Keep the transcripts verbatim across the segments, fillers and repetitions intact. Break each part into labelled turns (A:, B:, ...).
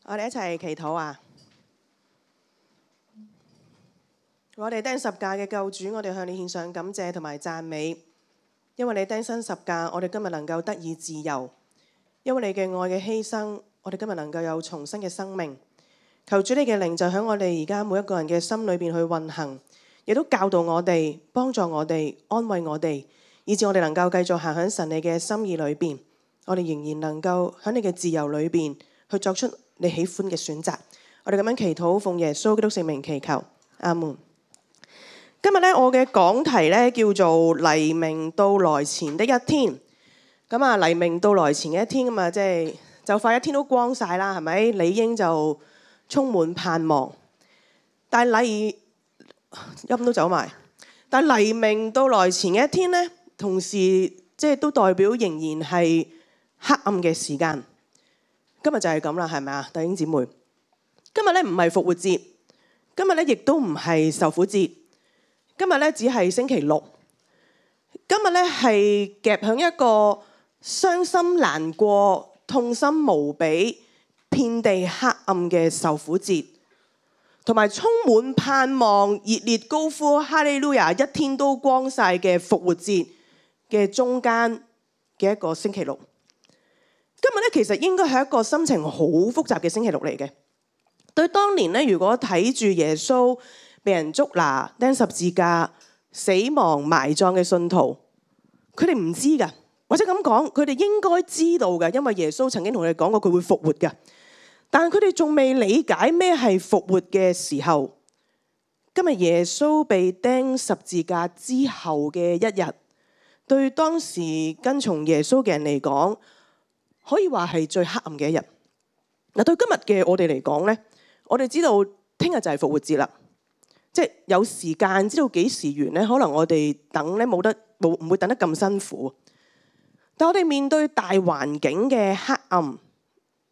A: 我哋一齊祈禱啊！我哋釘十架嘅救主，我哋向你獻上感謝同埋讚美，因為你釘身十架，我哋今日能夠得以自由；因為你嘅愛嘅犧牲，我哋今日能夠有重新嘅生命。求主你嘅靈就喺我哋而家每一個人嘅心裏邊去運行，亦都教導我哋、幫助我哋、安慰我哋，以致我哋能夠繼續行喺神你嘅心意裏邊。我哋仍然能夠喺你嘅自由裏邊去作出你喜歡嘅選擇。我哋咁樣祈禱，奉耶穌基督聖名祈求，阿門。今日咧，我嘅講題咧叫做黎明到來前的一天。咁啊，黎明到來前嘅一天咁啊，即係就快一天都光晒啦，係咪？理應就充滿盼望。但係黎音都走埋。但係黎明到來前嘅一天咧，同時即係都代表仍然係黑暗嘅時間。今日就係咁啦，係咪啊，弟兄姊妹？今日咧唔係復活節，今日咧亦都唔係受苦節。今日咧只係星期六，今日咧係夾響一個傷心難過、痛心無比、遍地黑暗嘅受苦節，同埋充滿盼望、熱烈高呼哈利路亞一天都光晒嘅復活節嘅中間嘅一個星期六。今日咧其實應該係一個心情好複雜嘅星期六嚟嘅。對當年咧，如果睇住耶穌被人捉拿、釘十字架、死亡、埋葬嘅信徒，佢哋唔知㗎，或者咁講，佢哋應該知道㗎，因為耶穌曾經同佢哋講過佢會復活㗎。但係佢哋仲未理解咩係復活嘅時候，今日耶穌被釘十字架之後嘅一日，對當時跟從耶穌嘅人嚟講，可以話係最黑暗嘅一日。嗱，對今日嘅我哋嚟講呢，我哋知道聽日就係復活節啦。即係有時間知道幾時完咧，可能我哋等咧冇得冇唔會等得咁辛苦。但我哋面對大環境嘅黑暗，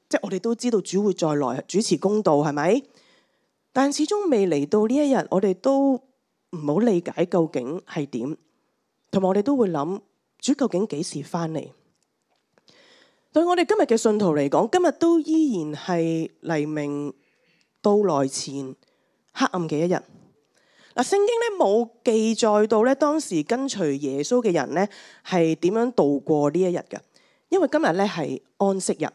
A: 即係我哋都知道主會再來主持公道，係咪？但始終未嚟到呢一日，我哋都唔好理解究竟係點，同埋我哋都會諗主究竟幾時翻嚟？對我哋今日嘅信徒嚟講，今日都依然係黎明到來前黑暗嘅一日。嗱，聖經咧冇記載到咧當時跟隨耶穌嘅人咧係點樣度過呢一日嘅，因為今日咧係安息日，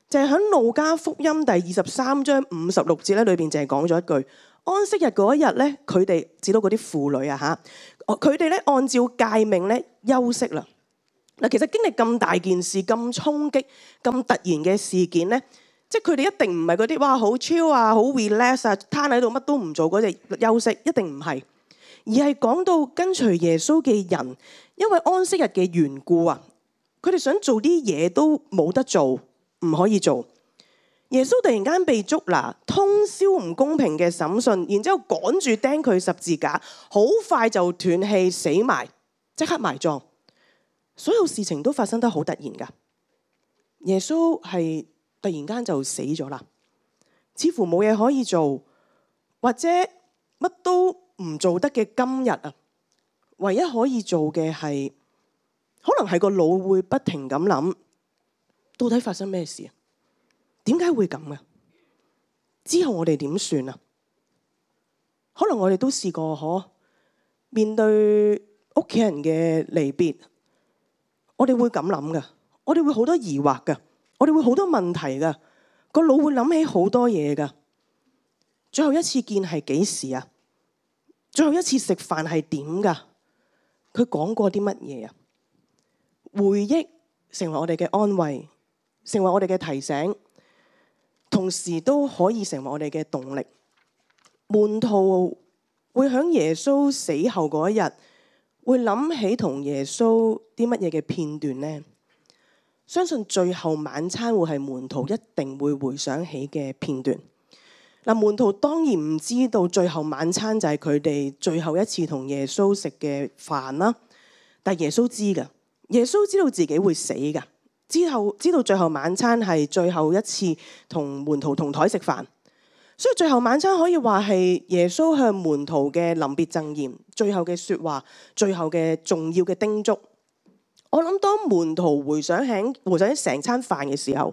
A: 就係喺路加福音第二十三章五十六節咧裏邊就係講咗一句，安息日嗰一日咧，佢哋指到嗰啲婦女啊嚇，佢哋咧按照誡命咧休息啦。嗱，其實經歷咁大件事、咁衝擊、咁突然嘅事件咧，即係佢哋一定唔係嗰啲哇好 chill 啊、好 relax 啊，攤喺度乜都唔做嗰隻休息，一定唔係，而係講到跟隨耶穌嘅人，因為安息日嘅緣故啊，佢哋想做啲嘢都冇得做，唔可以做。耶穌突然間被捉拿，通宵唔公平嘅審訊，然之後趕住釘佢十字架，好快就斷氣死埋，即刻埋葬。所有事情都發生得好突然㗎。耶穌係突然間就死咗啦，似乎冇嘢可以做，或者乜都唔做得嘅今日啊，唯一可以做嘅係，可能係個腦會不停咁諗，到底發生咩事啊？點解會咁嘅？之後我哋點算啊？可能我哋都試過可面對屋企人嘅離別，我哋會咁諗㗎，我哋會好多疑惑㗎。我哋會好多問題㗎，個腦會諗起好多嘢㗎。最後一次見係幾時啊？最後一次食飯係點㗎？佢講過啲乜嘢啊？回憶成為我哋嘅安慰，成為我哋嘅提醒，同時都可以成為我哋嘅動力。門徒會喺耶穌死後嗰一日，會諗起同耶穌啲乜嘢嘅片段呢？相信最後晚餐會係門徒一定會回想起嘅片段。嗱，門徒當然唔知道最後晚餐就係佢哋最後一次同耶穌食嘅飯啦。但耶穌知㗎，耶穌知道自己會死㗎，之後知道最後晚餐係最後一次同門徒同台食飯。所以最後晚餐可以話係耶穌向門徒嘅臨別贈言，最後嘅說話，最後嘅重要嘅叮囑。我諗當門徒回想起回想起成餐飯嘅時候，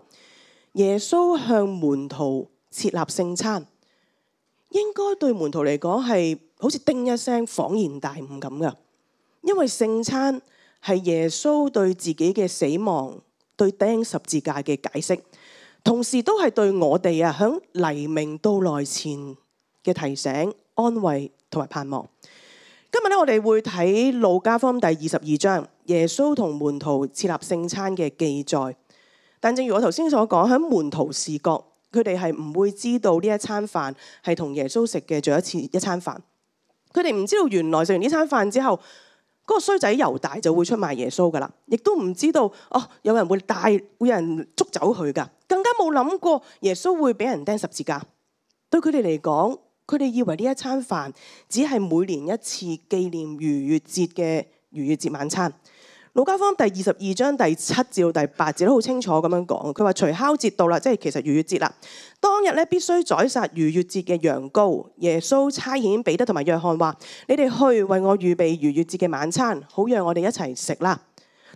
A: 耶穌向門徒設立聖餐，應該對門徒嚟講係好似叮一聲恍然大悟咁噶。因為聖餐係耶穌對自己嘅死亡、對釘十字架嘅解釋，同時都係對我哋啊響黎明到來前嘅提醒、安慰同埋盼望。今日咧，我哋會睇路加福音第二十二章，耶穌同門徒設立聖餐嘅記載。但正如我頭先所講，喺門徒視角，佢哋係唔會知道呢一餐飯係同耶穌食嘅最後一次一餐飯。佢哋唔知道原來食完呢餐飯之後，嗰個衰仔猶大就會出賣耶穌噶啦，亦都唔知道哦，有人會帶，會有人捉走佢噶，更加冇諗過耶穌會俾人釘十字架。對佢哋嚟講，佢哋以為呢一餐飯只係每年一次紀念逾越節嘅逾越節晚餐。路加福音第二十二章第七至到第八節都好清楚咁樣講，佢話除酵節到啦，即係其實逾越節啦。當日咧必須宰殺逾越節嘅羊羔。耶穌差遣彼得同埋約翰話：你哋去為我預備逾越節嘅晚餐，好讓我哋一齊食啦。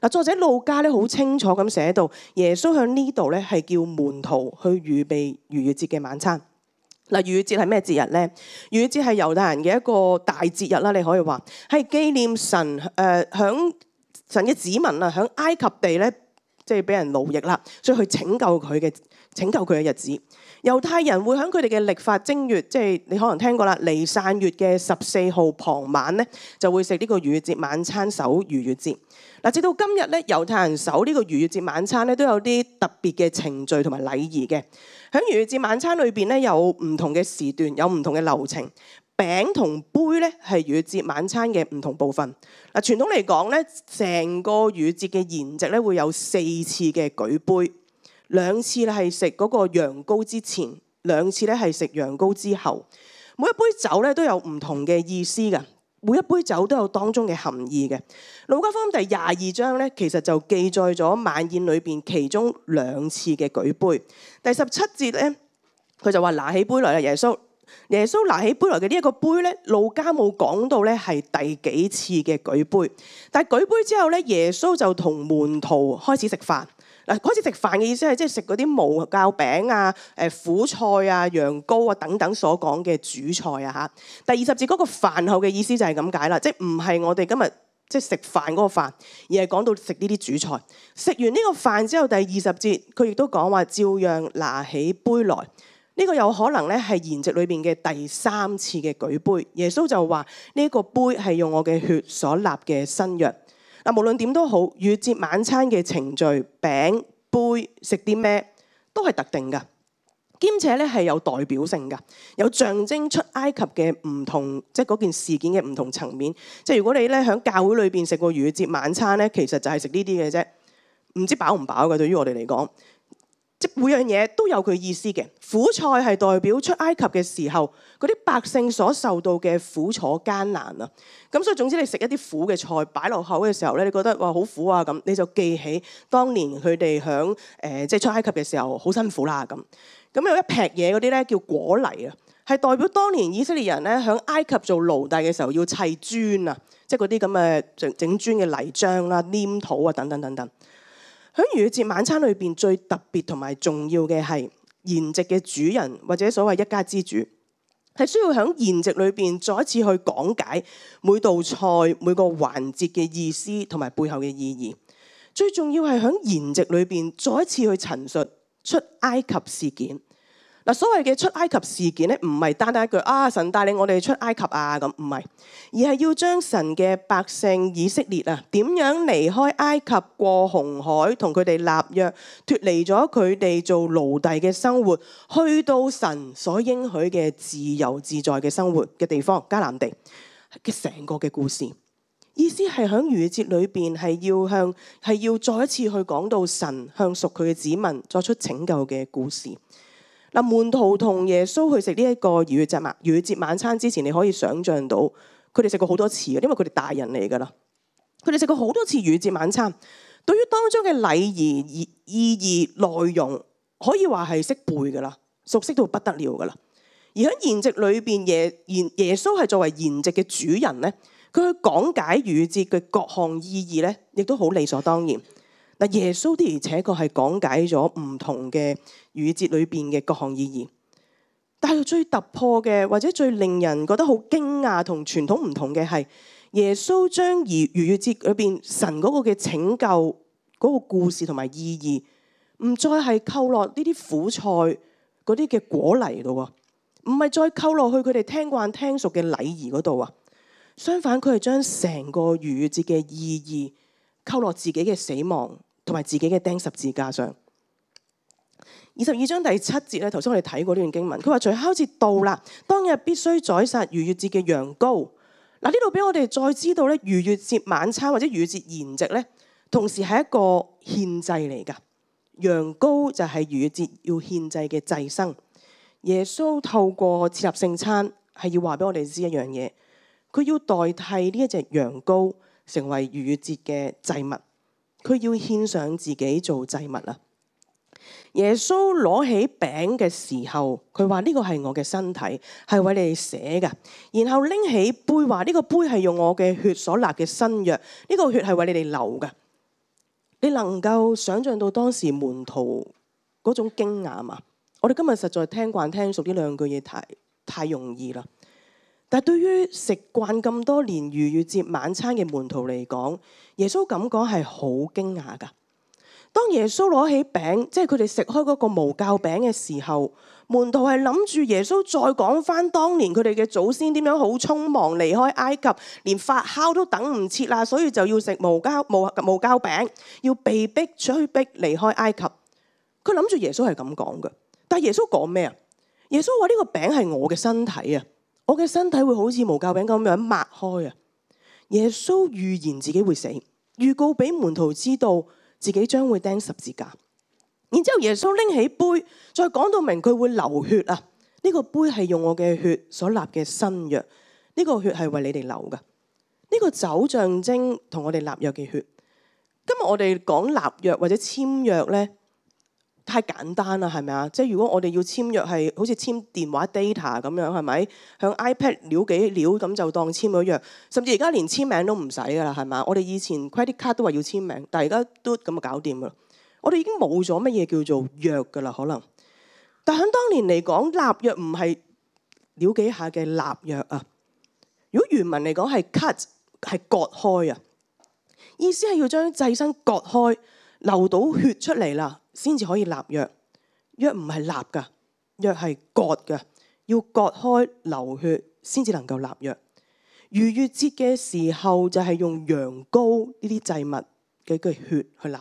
A: 嗱，作者路加咧好清楚咁寫到，耶穌喺呢度咧係叫門徒去預備逾越節嘅晚餐。嗱，逾越節係咩節日咧？逾越節係猶太人嘅一個大節日啦，你可以話係紀念神誒響。呃神嘅子民啊，喺埃及地咧，即係俾人奴役啦，所以去拯救佢嘅拯救佢嘅日子。猶太人會喺佢哋嘅曆法正月，即係你可能聽過啦，尼散月嘅十四號傍晚咧，就會食呢個逾越節晚餐，守逾越節。嗱，直到今日咧，猶太人守呢個逾越節晚餐咧，都有啲特別嘅程序同埋禮儀嘅。喺逾越節晚餐裏邊咧，有唔同嘅時段，有唔同嘅流程。餅同杯咧係逾越節晚餐嘅唔同部分。嗱，傳統嚟講咧，成個逾越節嘅筵席咧會有四次嘅舉杯，兩次咧係食嗰個羊羔之前，兩次咧係食羊羔之後。每一杯酒咧都有唔同嘅意思嘅，每一杯酒都有當中嘅含義嘅。路加福音第廿二章咧，其實就記載咗晚宴裏邊其中兩次嘅舉杯。第十七節咧，佢就話拿起杯來啦，耶穌。耶穌拿起杯來嘅呢一個杯咧，路加冇講到咧係第幾次嘅舉杯，但係舉杯之後咧，耶穌就同門徒開始食飯。嗱，開始食飯嘅意思係即係食嗰啲無酵餅啊、誒苦菜啊、羊羔啊等等所講嘅主菜啊嚇。第二十節嗰個飯後嘅意思就係咁解啦，即係唔係我哋今日即係食飯嗰個飯，而係講到食呢啲主菜。食完呢個飯之後，第二十節佢亦都講話照樣拿起杯來。呢個有可能咧係筵席裏邊嘅第三次嘅舉杯，耶穌就話呢一個杯係用我嘅血所立嘅新約。嗱，無論點都好，逾越節晚餐嘅程序、餅、杯、食啲咩都係特定噶，兼且咧係有代表性噶，有象徵出埃及嘅唔同，即係嗰件事件嘅唔同層面。即係如果你咧喺教會裏邊食過逾越節晚餐咧，其實就係食呢啲嘅啫，唔知飽唔飽嘅對於我哋嚟講。即每樣嘢都有佢意思嘅。苦菜係代表出埃及嘅時候嗰啲百姓所受到嘅苦楚艱難啊。咁所以總之你食一啲苦嘅菜擺落口嘅時候咧，你覺得哇好苦啊咁，你就記起當年佢哋響誒即係出埃及嘅時候好辛苦啦咁。咁有一劈嘢嗰啲咧叫果泥啊，係代表當年以色列人咧響埃及做奴隸嘅時候要砌磚啊，即係嗰啲咁嘅整整磚嘅泥漿啦、黏土啊等等等等。喺逾越節晚餐裏邊最特別同埋重要嘅係筵席嘅主人或者所謂一家之主，係需要喺筵席裏邊再一次去講解每道菜每個環節嘅意思同埋背後嘅意義。最重要係喺筵席裏邊再一次去陳述出埃及事件。嗱，所謂嘅出埃及事件咧，唔係單單一句啊神帶領我哋出埃及啊咁，唔係，而係要將神嘅百姓以色列啊點樣離開埃及過紅海，同佢哋立約，脫離咗佢哋做奴隸嘅生活，去到神所應許嘅自由自在嘅生活嘅地方迦南地嘅成個嘅故事。意思係喺逾越節裏邊係要向係要再一次去講到神向屬佢嘅子民作出拯救嘅故事。嗱，門徒同耶穌去食呢一個逾越節晚逾越節晚餐之前，你可以想像到佢哋食過好多次嘅，因為佢哋大人嚟㗎啦。佢哋食過好多次逾越節晚餐，對於當中嘅禮儀、意意義、內容，可以話係識背㗎啦，熟悉到不得了㗎啦。而喺筵席裏邊，耶耶耶穌係作為筵席嘅主人咧，佢去講解逾越節嘅各項意義咧，亦都好理所當然。嗱，耶穌的而且確係講解咗唔同嘅逾越節裏邊嘅各項意義，但係最突破嘅或者最令人覺得好驚訝同傳統唔同嘅係耶穌將而逾越節裏邊神嗰個嘅拯救嗰個故事同埋意義，唔再係扣落呢啲苦菜嗰啲嘅果泥度啊，唔係再扣落去佢哋聽慣聽熟嘅禮儀嗰度啊，相反佢係將成個逾越節嘅意義扣落自己嘅死亡同埋自己嘅釘十字架上。二十二章第七節咧，頭先我哋睇過呢段經文，佢話除酵節到啦，當日必須宰殺逾越節嘅羊羔。嗱，呢度俾我哋再知道咧，逾越節晚餐或者逾越節筵席咧，同時係一個獻祭嚟噶。羊羔就係逾越節要獻祭嘅祭牲。耶穌透過設立聖餐，係要話俾我哋知一樣嘢，佢要代替呢一隻羊羔成為逾越節嘅祭物，佢要獻上自己做祭物啦。耶穌攞起餅嘅時候，佢話呢個係我嘅身體，係為你哋捨嘅。然後拎起杯，話呢個杯係用我嘅血所立嘅新約，呢個血係為你哋流嘅。你能夠想象到當時門徒嗰種驚訝嘛？我哋今日實在聽慣聽熟呢兩句嘢太太容易啦。但係對於食慣咁多年逾越節晚餐嘅門徒嚟講，耶穌咁講係好驚訝噶。當耶穌攞起餅，即係佢哋食開嗰個無酵餅嘅時候，門徒係諗住耶穌再講翻當年佢哋嘅祖先點樣好匆忙離開埃及，連發酵都等唔切啦，所以就要食無酵無無酵餅，要被逼催逼離開埃及。佢諗住耶穌係咁講嘅，但係耶穌講咩啊？耶穌話呢個餅係我嘅身體啊，我嘅身體會好似無酵餅咁樣擘開啊。耶穌預言自己會死，預告俾門徒知道自己將會釘十字架，然之後耶穌拎起杯，再講到明佢會流血啊！呢個杯係用我嘅血所立嘅新約，呢個血係為你哋流噶。呢個酒象徵同我哋立約嘅血。今日我哋講立約或者簽約咧，太簡單啦，係咪啊？即係如果我哋要簽約係好似簽電話 data 咁樣，係咪？向 iPad 撩幾撩咁就當簽咗約，甚至而家連簽名都唔使噶啦，係咪？我哋以前 credit card 都話要簽名，但係而家都咁就搞掂噶啦。我哋已經冇咗乜嘢叫做約噶啦，可能。但喺當年嚟講，立約唔係撩幾下嘅立約啊。如果原文嚟講係 cut 係割開啊，意思係要將祭牲割開，流到血出嚟啦，先至可以立約。約唔係立噶，約係割噶，要割開流血先至能夠立約。逾越節嘅時候就係用羊羔呢啲祭物嘅嘅血去立，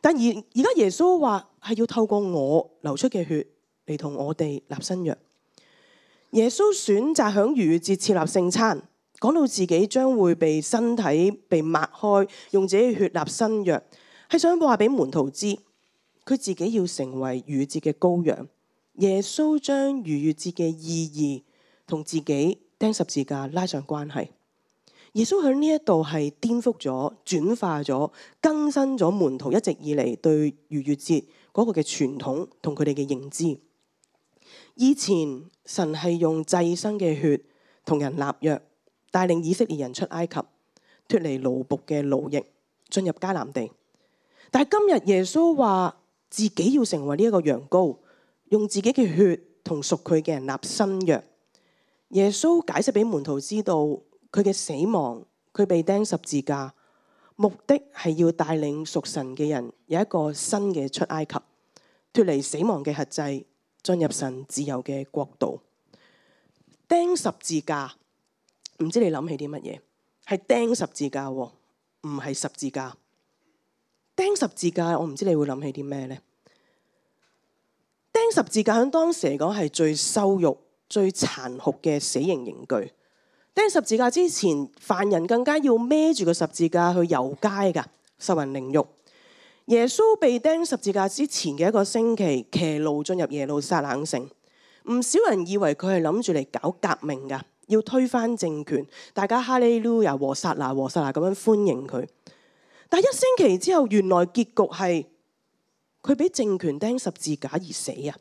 A: 但而而家耶穌話係要透過我流出嘅血嚟同我哋立新約。耶穌選擇響逾越節設立聖餐，講到自己將會被身體被擘開，用自己嘅血立新約，係想話俾門徒知，佢自己要成為逾越節嘅羔羊。耶穌將逾越節嘅意義同自己釘十字架拉上關係。耶穌喺呢一度係顛覆咗、轉化咗、更新咗門徒一直以嚟對逾越節嗰個嘅傳統同佢哋嘅認知。以前神係用祭牲嘅血同人立約，帶領以色列人出埃及，脫離奴僕嘅奴役，進入迦南地。但係今日耶穌話自己要成為呢一個羊羔，用自己嘅血同屬佢嘅人立新約。耶穌解釋俾門徒知道，佢嘅死亡，佢被釘十字架，目的係要帶領屬神嘅人有一個新嘅出埃及，脫離死亡嘅轄制，進入神自由嘅國度。釘十字架，唔知你諗起啲乜嘢？係釘十字架，唔係十字架。釘十字架，我唔知你會諗起啲咩呢？釘十字架喺當時嚟講係最羞辱、最殘酷嘅死刑刑具。釘十字架之前，犯人更加要孭住個十字架去遊街噶，受人凌辱。耶穌被釘十字架之前嘅一個星期，騎驢進入耶路撒冷城，唔少人以為佢係諗住嚟搞革命噶，要推翻政權，大家哈利路亞和撒那和撒那咁樣歡迎佢。但一星期之後，原來結局係佢俾政權釘十字架而死啊！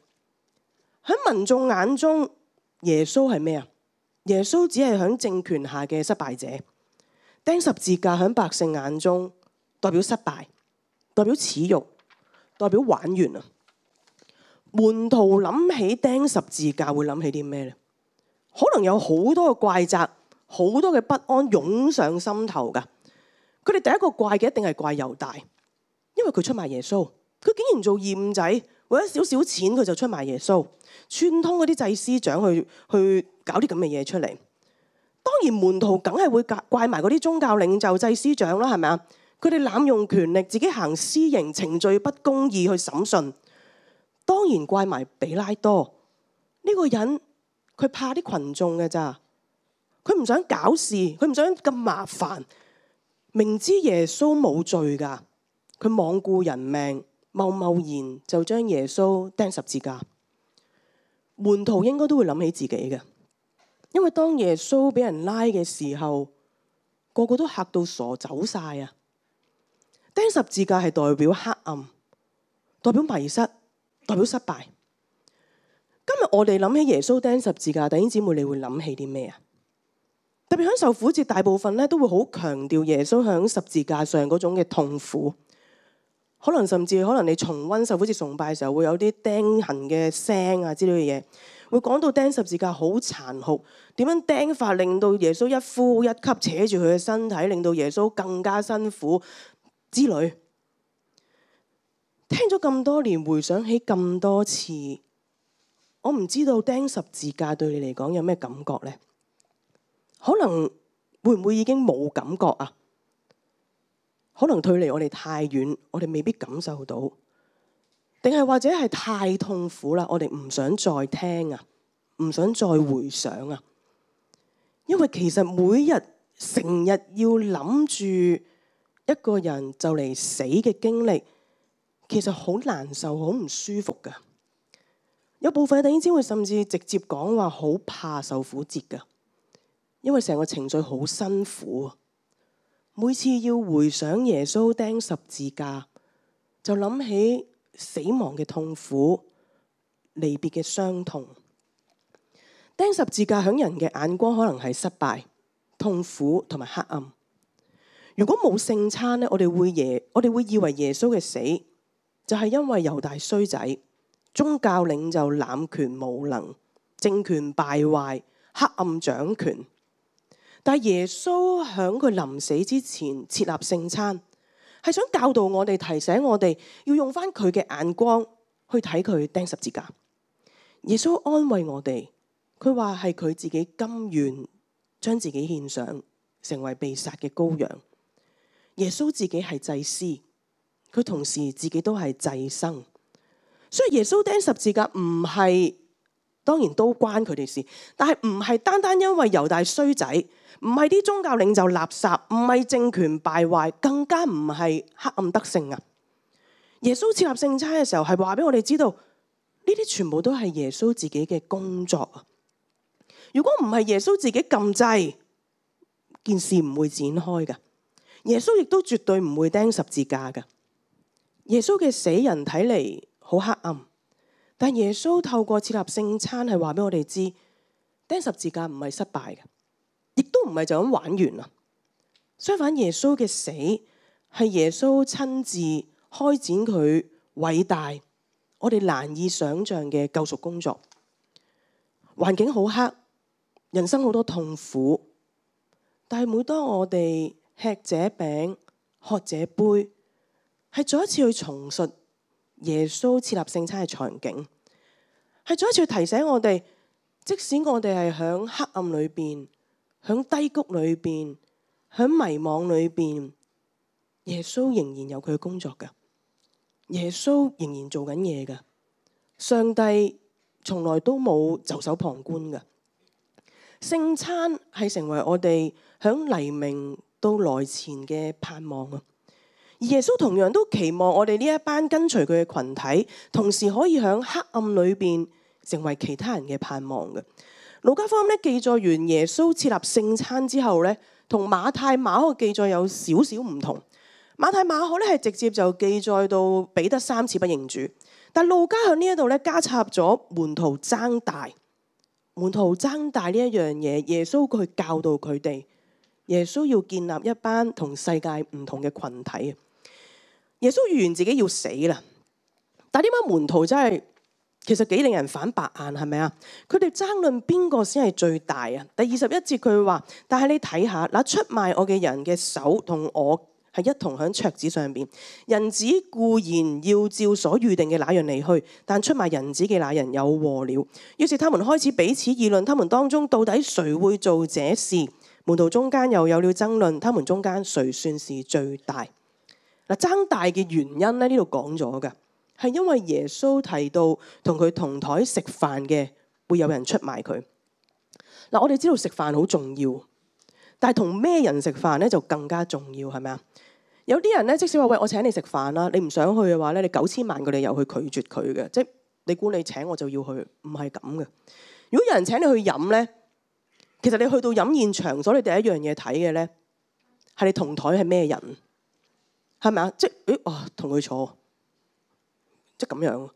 A: 喺民眾眼中，耶穌係咩啊？耶穌只係喺政權下嘅失敗者，釘十字架喺百姓眼中代表失敗，代表恥辱，代表玩完啊！門徒諗起釘十字架會諗起啲咩呢？可能有好多嘅怪責，好多嘅不安湧上心頭噶。佢哋第一個怪嘅一定係怪猶大，因為佢出賣耶穌，佢竟然做二五仔，為咗少少錢佢就出賣耶穌，串通嗰啲祭司長去去搞啲咁嘅嘢出嚟。當然門徒梗係會怪埋嗰啲宗教領袖、祭司長啦，係咪啊？佢哋濫用權力，自己行私刑，程序不公義去審訊。當然怪埋比拉多呢個人，佢怕啲群眾嘅咋，佢唔想搞事，佢唔想咁麻煩。明知耶穌冇罪噶，佢罔顧人命，貿貿然就將耶穌釘十字架。門徒應該都會諗起自己嘅，因為當耶穌俾人拉嘅時候，個個都嚇到傻走晒啊！釘十字架係代表黑暗，代表迷失，代表失敗。今日我哋諗起耶穌釘十字架，弟兄姊妹，你會諗起啲咩啊？特別喺受苦節，大部分咧都會好強調耶穌喺十字架上嗰種嘅痛苦。可能甚至可能你重溫受苦節崇拜嘅時候，會有啲釘痕嘅聲啊之類嘅嘢，會講到釘十字架好殘酷，點樣釘法令到耶穌一呼一吸扯住佢嘅身體，令到耶穌更加辛苦之類。聽咗咁多年，回想起咁多次，我唔知道釘十字架對你嚟講有咩感覺呢？可能會唔會已經冇感覺啊？可能距離我哋太遠，我哋未必感受到，定係或者係太痛苦啦，我哋唔想再聽啊，唔想再回想啊。因為其實每日成日要諗住一個人就嚟死嘅經歷，其實好難受，好唔舒服噶。有部分弟兄姊妹甚至直接講話好怕受苦節噶。因為成個程序好辛苦，每次要回想耶穌釘十字架，就諗起死亡嘅痛苦、離別嘅傷痛。釘十字架喺人嘅眼光可能係失敗、痛苦同埋黑暗。如果冇聖餐咧，我哋會耶，我哋會以為耶穌嘅死就係因為猶大衰仔、宗教領袖濫權無能、政權敗壞、黑暗掌權。但係耶穌喺佢臨死之前設立聖餐，係想教導我哋、提醒我哋要用翻佢嘅眼光去睇佢釘十字架。耶穌安慰我哋，佢話係佢自己甘願將自己獻上，成為被殺嘅羔羊。耶穌自己係祭司，佢同時自己都係祭牲，所以耶穌釘十字架唔係，當然都關佢哋事，但係唔係單單因為猶大衰仔，唔係啲宗教領袖垃圾，唔係政權敗壞，更加唔係黑暗得勝啊！耶穌設立聖餐嘅時候，係話俾我哋知道，呢啲全部都係耶穌自己嘅工作啊！如果唔係耶穌自己撳掣，件事唔會展開噶。耶穌亦都絕對唔會釘十字架噶。耶穌嘅死人睇嚟好黑暗，但耶穌透過設立聖餐係話俾我哋知，釘十字架唔係失敗嘅，亦都唔係就咁玩完啦。相反，耶穌嘅死係耶穌親自開展佢偉大、我哋難以想象嘅救贖工作。環境好黑，人生好多痛苦，但係每當我哋吃這餅、喝這杯，係再一次去重述耶穌設立聖餐嘅場景，係再一次去提醒我哋，即使我哋係響黑暗裏邊、響低谷裏邊、響迷惘裏邊，耶穌仍然有佢嘅工作㗎，耶穌仍然做緊嘢㗎，上帝從來都冇袖手旁觀㗎。聖餐係成為我哋響黎明到來前嘅盼望啊！而耶穌同樣都期望我哋呢一班跟隨佢嘅群體，同時可以響黑暗裏邊成為其他人嘅盼望嘅。路加福音咧記載完耶穌設立聖餐之後咧，同馬太馬可記載有少少唔同。馬太馬可咧係直接就記載到彼得三次不認主，但路加喺呢一度咧加插咗門徒爭大，門徒爭大呢一樣嘢，耶穌去教導佢哋。耶穌要建立一班同世界唔同嘅群體。耶穌預言自己要死啦，但係點解門徒真係其實幾令人反白眼，係咪啊？佢哋爭論邊個先係最大啊？第二十一節佢話：但係你睇下，嗱，出賣我嘅人嘅手同我係一同喺桌子上邊。人子固然要照所預定嘅那樣離去，但出賣人子嘅那人有禍了。於是他們開始彼此議論，他們當中到底誰會做這事？門徒中間又有了爭論，他們中間誰算是最大？嗱，爭大嘅原因咧，呢度講咗嘅係因為耶穌提到同佢同台食飯嘅會有人出賣佢。嗱，我哋知道食飯好重要，但係同咩人食飯咧就更加重要，係咪啊？有啲人咧，即使話喂，我請你食飯啦，你唔想去嘅話咧，你九千萬個理由去拒絕佢嘅，即係你估你請我就要去，唔係咁嘅。如果有人請你去飲咧，其實你去到飲宴場所，你第一樣嘢睇嘅咧係你同台係咩人。係咪啊？即係誒，哦，同佢坐，即係咁樣。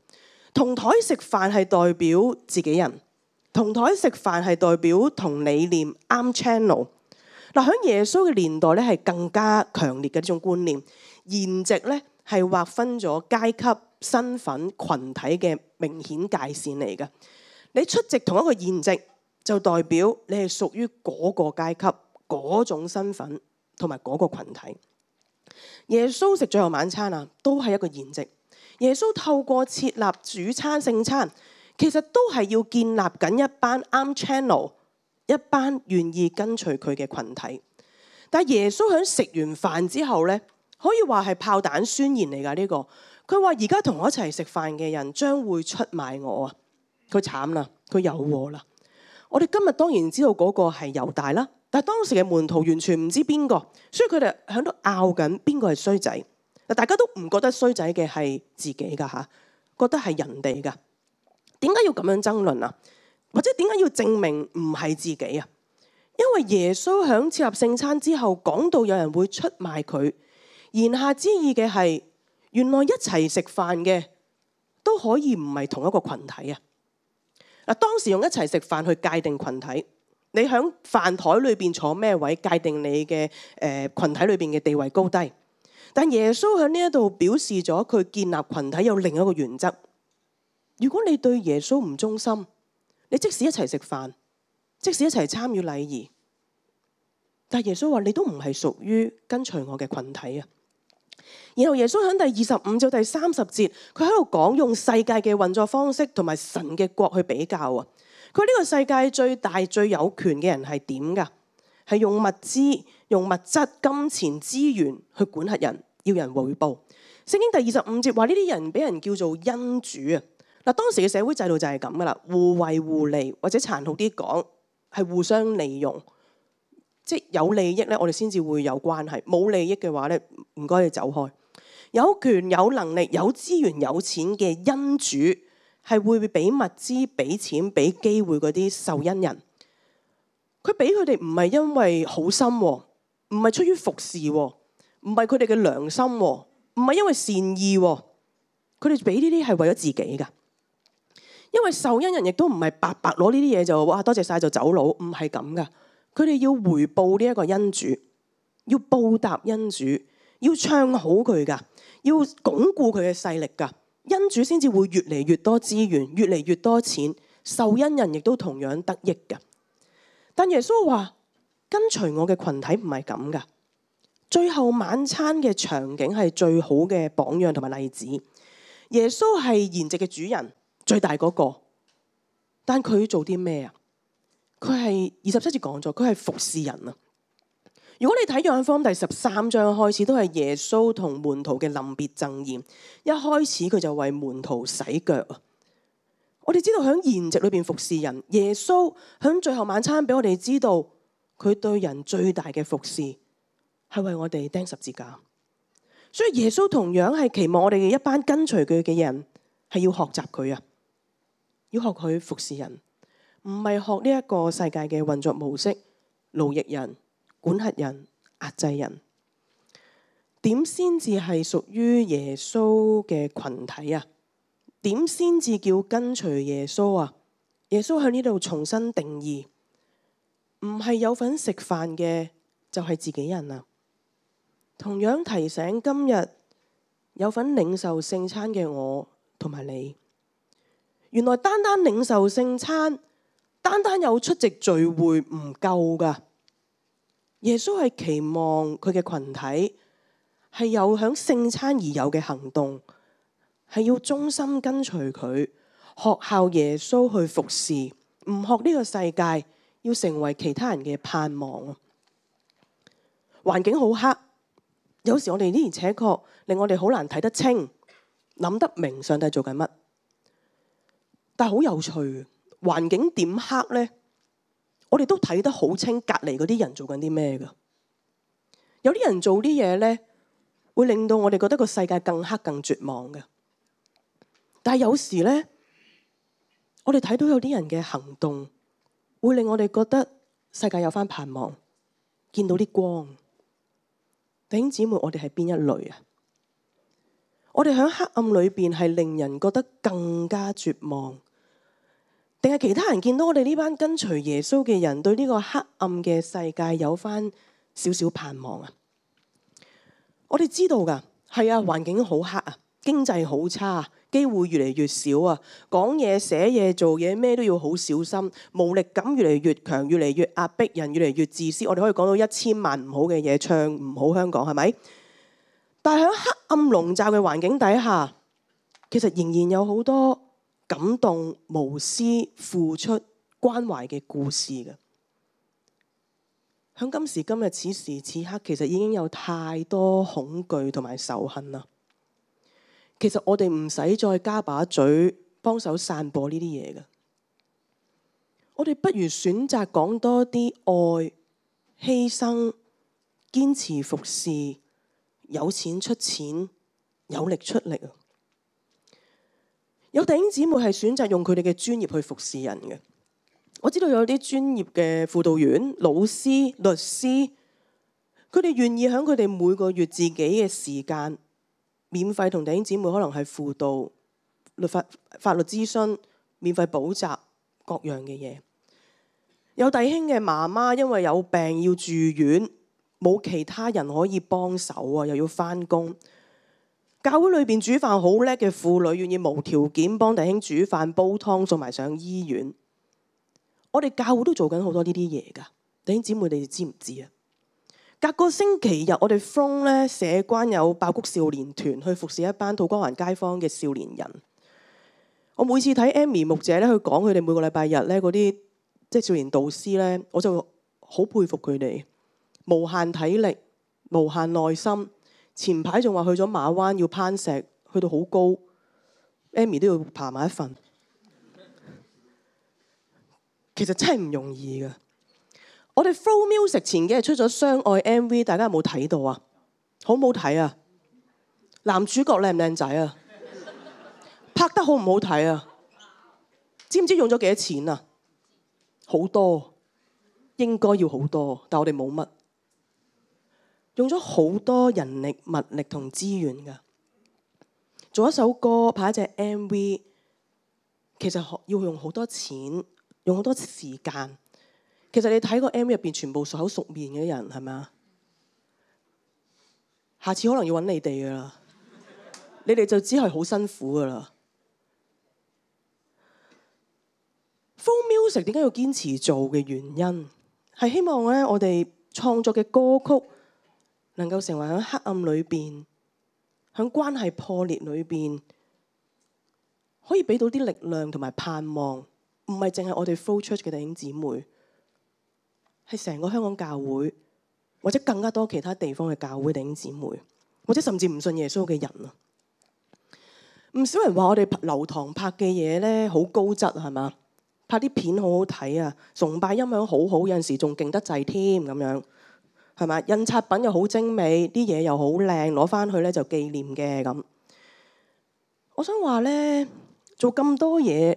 A: 同台食飯係代表自己人，同台食飯係代表同理念啱 channel。嗱，喺耶穌嘅年代咧，係更加強烈嘅呢種觀念。筵席咧係劃分咗階級、身份、群體嘅明顯界線嚟嘅。你出席同一個筵席，就代表你係屬於嗰個階級、嗰種身份同埋嗰個群體。耶穌食最後晚餐啊，都係一個筵席。耶穌透過設立主餐聖餐，其實都係要建立緊一班啱 channel、一班願意跟隨佢嘅群體。但係耶穌喺食完飯之後呢，可以話係炮彈宣言嚟㗎呢個。佢話而家同我一齊食飯嘅人將會出賣我啊！佢慘啦，佢有禍啦。我哋今日當然知道嗰個係猶大啦。但係當時嘅門徒完全唔知邊個，所以佢哋喺度拗緊邊個係衰仔。嗱，大家都唔覺得衰仔嘅係自己噶吓，覺得係人哋噶。點解要咁樣爭論啊？或者點解要證明唔係自己啊？因為耶穌喺設立聖餐之後講到有人會出賣佢，言下之意嘅係原來一齊食飯嘅都可以唔係同一個群體啊。嗱，當時用一齊食飯去界定群體。你喺飯台裏邊坐咩位，界定你嘅誒羣體裏邊嘅地位高低。但耶穌喺呢一度表示咗佢建立群體有另一個原則。如果你對耶穌唔忠心，你即使一齊食飯，即使一齊參與禮儀，但耶穌話你都唔係屬於跟隨我嘅群體啊。然後耶穌喺第二十五至第三十節，佢喺度講用世界嘅運作方式同埋神嘅國去比較啊。佢呢個世界最大最有權嘅人係點㗎？係用物資、用物質、金錢、資源去管轄人，要人回報。聖經第二十五節話呢啲人俾人叫做恩主啊！嗱，當時嘅社會制度就係咁噶啦，互惠互利，或者殘酷啲講係互相利用。即係有利益咧，我哋先至會有關係；冇利益嘅話咧，唔該你走開。有權、有能力、有資源、有錢嘅恩主，係會俾物資、俾錢、俾機會嗰啲受恩人。佢俾佢哋唔係因為好心，唔係出於服侍，唔係佢哋嘅良心，唔係因為善意。佢哋俾呢啲係為咗自己噶。因為受恩人亦都唔係白白攞呢啲嘢就哇多謝晒就走佬，唔係咁噶。佢哋要回報呢一個恩主，要報答恩主，要唱好佢噶，要鞏固佢嘅勢力噶。恩主先至會越嚟越多資源，越嚟越多錢，受恩人亦都同樣得益噶。但耶穌話跟隨我嘅群體唔係咁噶。最後晚餐嘅場景係最好嘅榜樣同埋例子。耶穌係筵席嘅主人，最大嗰個，但佢做啲咩啊？佢係二十七節講咗，佢係服侍人啊。如果你睇約翰福音第十三章開始，都係耶穌同門徒嘅臨別贈言。一開始佢就為門徒洗腳啊。我哋知道喺筵席裏邊服侍人，耶穌喺最後晚餐俾我哋知道，佢對人最大嘅服侍係為我哋釘十字架。所以耶穌同樣係期望我哋嘅一班跟隨佢嘅人係要學習佢啊，要學佢服侍人，唔係學呢一個世界嘅運作模式，奴役人、管轄人、壓制人。點先至係屬於耶穌嘅群體啊？點先至叫跟隨耶穌啊？耶穌喺呢度重新定義，唔係有份食飯嘅就係自己人啊。同樣提醒今日有份領受聖餐嘅我同埋你。原來單單領受聖餐，單單有出席聚會唔夠㗎。耶穌係期望佢嘅群體係有響聖餐而有嘅行動，係要忠心跟隨佢，學效耶穌去服侍，唔學呢個世界，要成為其他人嘅盼望啊！環境好黑，有時我哋呢而且確令我哋好難睇得清，諗得明上帝做緊乜。但係好有趣，環境點黑呢？我哋都睇得好清，隔離嗰啲人做緊啲咩㗎？有啲人做啲嘢呢，會令到我哋覺得個世界更黑、更絕望嘅。但係有時呢，我哋睇到有啲人嘅行動，會令我哋覺得世界有返盼望，見到啲光。弟兄姊妹，我哋係邊一類啊？我哋喺黑暗裏邊係令人覺得更加絕望，定係其他人見到我哋呢班跟隨耶穌嘅人，對呢個黑暗嘅世界有返少少盼望啊？我哋知道㗎，係啊，環境好黑啊，經濟好差，機會越嚟越少啊，講嘢、寫嘢、做嘢咩都要好小心，無力感越嚟越強，越嚟越壓迫人，越嚟越自私。我哋可以講到一千萬唔好嘅嘢，唱唔好香港，係咪？但係喺黑暗籠罩嘅環境底下，其實仍然有好多感動、無私、付出、關懷嘅故事嘅。喺今時今日此時此刻，其實已經有太多恐懼同埋仇恨啦。其實我哋唔使再加把嘴幫手散播呢啲嘢嘅，我哋不如選擇講多啲愛、犧牲、堅持服侍。有錢出錢，有力出力啊！有弟兄姊妹係選擇用佢哋嘅專業去服侍人嘅。我知道有啲專業嘅輔導員、老師、律師，佢哋願意喺佢哋每個月自己嘅時間，免費同弟兄姊妹可能係輔導、律法、法律諮詢、免費補習各樣嘅嘢。有弟兄嘅媽媽因為有病要住院。冇其他人可以幫手啊，又要返工。教會裏邊煮飯好叻嘅婦女，願意無條件幫弟兄煮飯、煲湯，送埋上醫院。我哋教會都做緊好多呢啲嘢㗎，弟兄姊妹，你哋知唔知啊？隔個星期日，我哋 from 咧社關有爆谷少年團去服侍一班土瓜灣街坊嘅少年人。我每次睇 Amy 牧者咧，去講佢哋每個禮拜日咧嗰啲即係少年導師咧，我就好佩服佢哋。無限體力，無限耐心。前排仲話去咗馬灣要攀石，去到好高 ，Amy 都要爬埋一份。其實真係唔容易㗎。我哋 Flow Music 前幾日出咗相愛 M V， 大家有冇睇到啊？好唔好睇啊？男主角靚唔靚仔啊？拍得好唔好睇啊？知唔知用咗幾多錢啊？好多，應該要好多，但我哋冇乜。用咗好多人力、物力同資源㗎，做一首歌、拍一隻 M V， 其實要用好多錢，用好多時間。其實你睇個 M V 入邊，全部熟口熟面嘅人係咪啊？下次可能要揾你哋㗎啦，你哋就只係好辛苦㗎啦。Flow Music 點解要堅持做嘅原因，係希望咧我哋創作嘅歌曲，能夠成為喺黑暗裏邊，喺關係破裂裏邊，可以俾到啲力量同埋盼望，唔係淨係我哋 Flow Church 嘅弟兄姊妹，係成個香港教會，或者更加多其他地方嘅教會弟兄姊妹，或者甚至唔信耶穌嘅人啊！唔少人話我哋流堂拍嘅嘢咧好高質係嘛？拍啲片好好睇啊，崇拜音響好好，有陣時仲勁得滯添咁樣。係咪？印刷品又好精美，啲嘢又好靚，攞翻去咧就紀念嘅咁。我想話咧，做咁多嘢，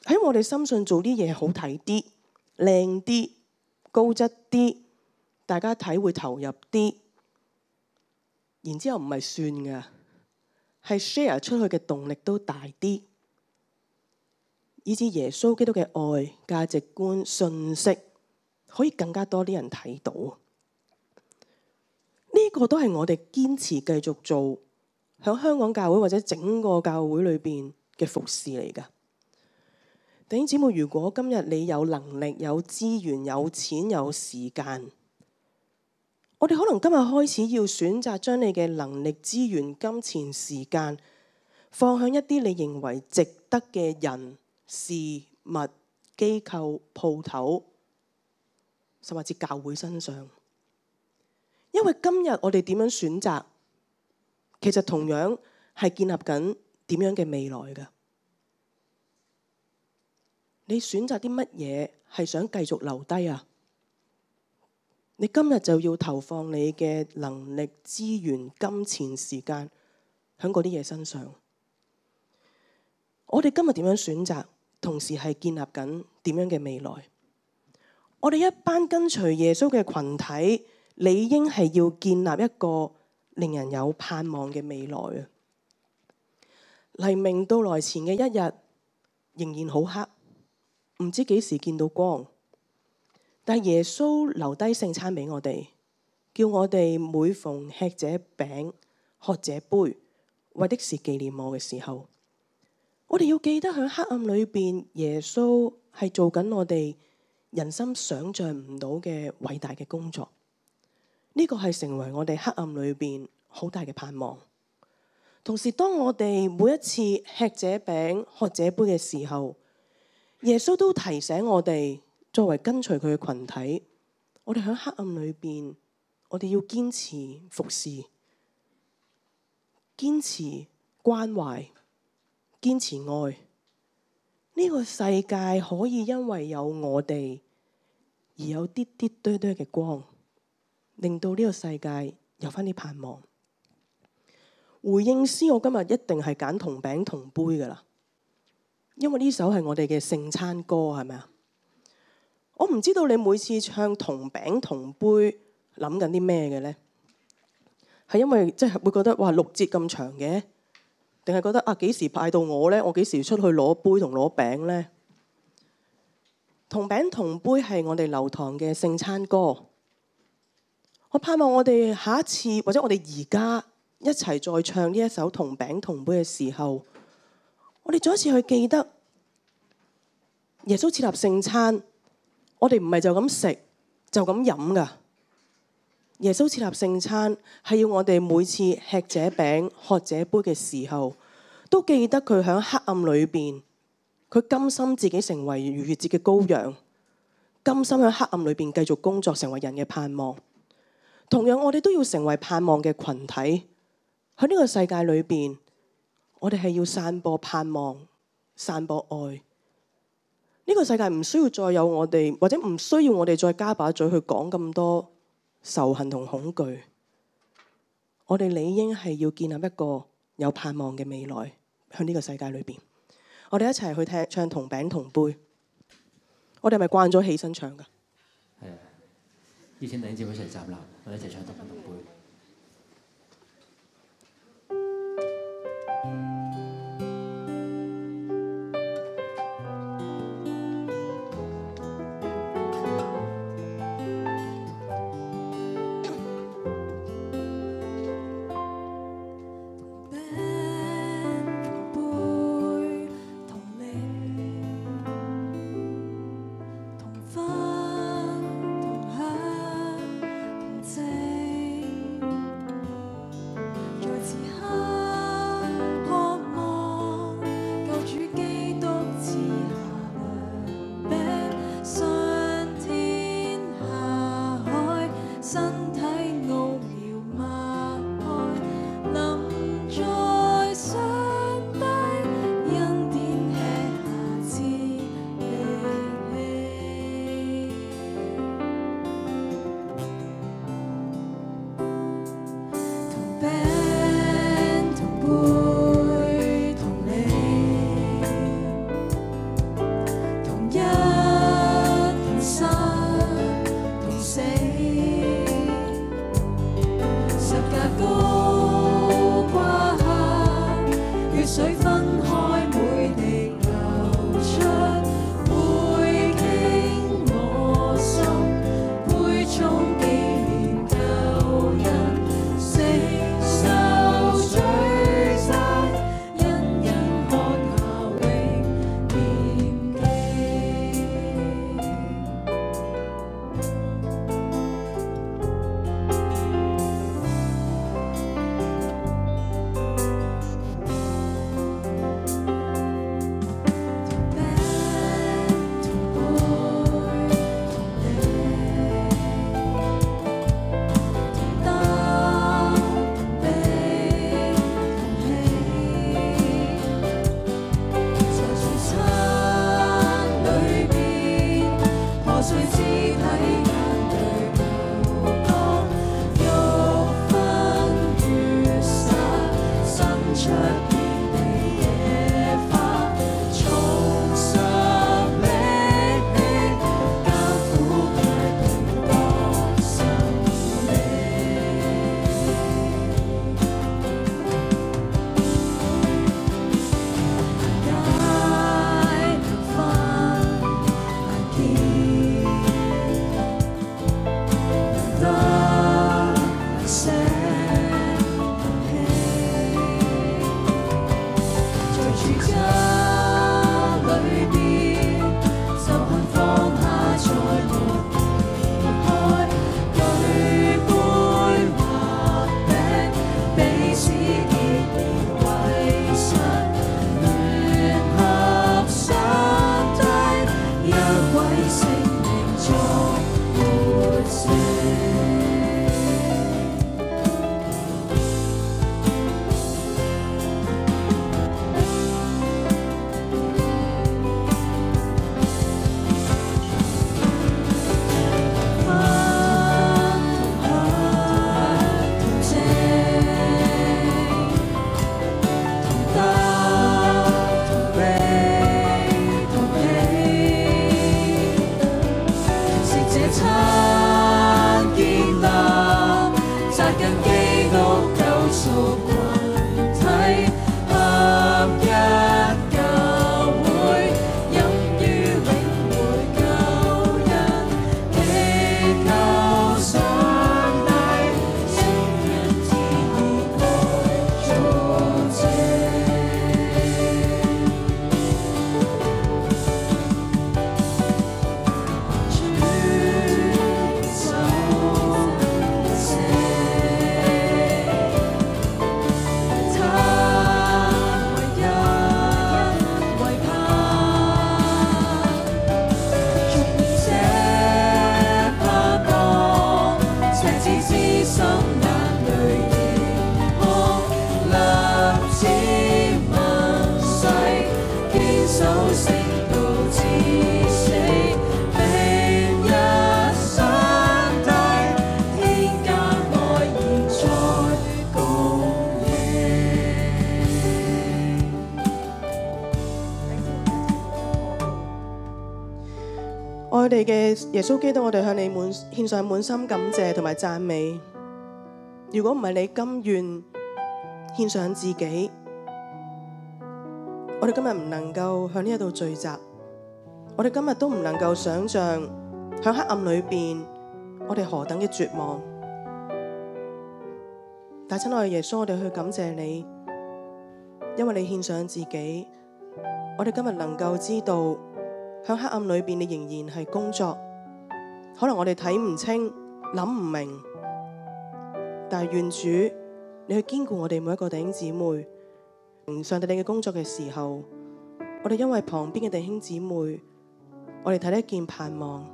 A: 喺我哋深信做啲嘢好睇啲、靚啲、高質啲，大家睇會投入啲。然之後唔係算㗎，係 share 出去嘅動力都大啲，以至耶穌基督嘅愛、價值觀、信息，可以更加多啲人睇到，呢個都係我哋堅持繼續做喺香港教會或者整個教會裏邊嘅服侍嚟㗎。弟兄姊妹，如果今日你有能力、有資源、有錢、有時間，我哋可能今日開始要選擇將你嘅能力、資源、金錢、時間放向一啲你認為值得嘅人、事物、機構、鋪頭，甚至教會身上。因為今日我哋點樣選擇，其實同樣係建立緊點樣嘅未來㗎。你選擇啲乜嘢係想繼續留低啊？你今日就要投放你嘅能力、資源、金錢、時間喺嗰啲嘢身上。我哋今日點樣選擇，同時係建立緊點樣嘅未來。我哋一班跟隨耶穌嘅群體，理應係要建立一個令人有盼望嘅未來啊！黎明到來前嘅一日仍然好黑，唔知幾時見到光，但耶穌留低聖餐俾我哋，叫我哋每逢吃這餅、喝這杯，為的是紀念我嘅時候，我哋要記得喺黑暗裏邊，耶穌係做緊我哋人心想象唔到嘅偉大嘅工作。呢個係成為我哋黑暗裏邊好大嘅盼望。同時，當我哋每一次吃這餅、喝這杯嘅時候，耶穌都提醒我哋，作為跟隨佢嘅群體，我哋喺黑暗裏邊，我哋要堅持服侍，堅持關懷，堅持愛。呢個世界可以因為有我哋而有啲啲堆堆嘅光，令到呢個世界有返啲盼望。回應詩，我今日一定係揀同餅同杯㗎喇。因為呢首係我哋嘅聖餐歌，係咪啊？我唔知道你每次唱同餅同杯諗緊啲咩嘅呢？係因為即係會覺得哇六節咁長嘅，定係覺得啊幾時派到我呢？我幾時出去攞杯同攞餅呢？同餅同杯係我哋流堂嘅聖餐歌。我盼望我哋下一次或者我哋而家一齊再唱呢一首同餅同杯嘅時候，我哋再一次去記得耶穌設立聖餐，我哋唔係就咁食就咁飲噶。耶穌設立聖餐係要我哋每次吃這餅喝這杯嘅時候，都記得佢喺黑暗裏邊，佢甘心自己成為逾越節嘅羔羊，甘心喺黑暗裏邊繼續工作，成為人嘅盼望。同樣，我哋都要成為盼望嘅群體，喺呢個世界裏邊。我哋係要散播盼望、散播愛。呢個世界唔需要再有我哋，或者唔需要我哋再加把嘴去講咁多仇恨同恐懼。我哋理應係要建立一個有盼望嘅未來，喺呢個世界裏邊。我哋一齊去聽唱同餅同杯。我哋係咪慣咗起身唱㗎？
B: 係啊，以前弟兄姊妹一齊站立，我哋一齊唱同餅同杯。
C: 看守聖道至死，並一上帝天間愛現在共應。
A: 愛我哋嘅耶穌基督，我哋向你滿獻上滿心感謝同埋讚美。如果唔係你甘願獻上自己，我哋今日唔能夠向呢一度聚集，我哋今日都唔能夠想象響黑暗裏邊我哋何等嘅絕望。但親愛嘅耶穌，我哋去感謝你，因為你獻上自己，我哋今日能夠知道響黑暗裏邊你仍然係工作。可能我哋睇唔清、諗唔明，但係願主你去堅固我哋每一個弟兄姊妹。上帝你嘅工作嘅時候，我哋因為旁邊嘅弟兄姊妹，我哋睇得見盼望。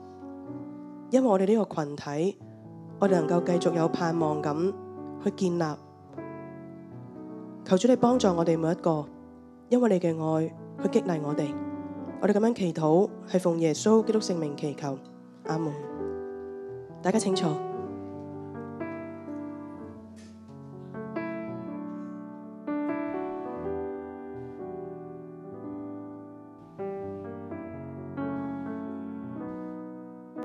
A: 因為我哋呢個群體，我哋能夠繼續有盼望咁去建立。求主你幫助我哋每一個，因為你嘅愛去激勵我哋。我哋咁樣祈禱，係奉耶穌基督聖名祈求，阿門。大家請坐。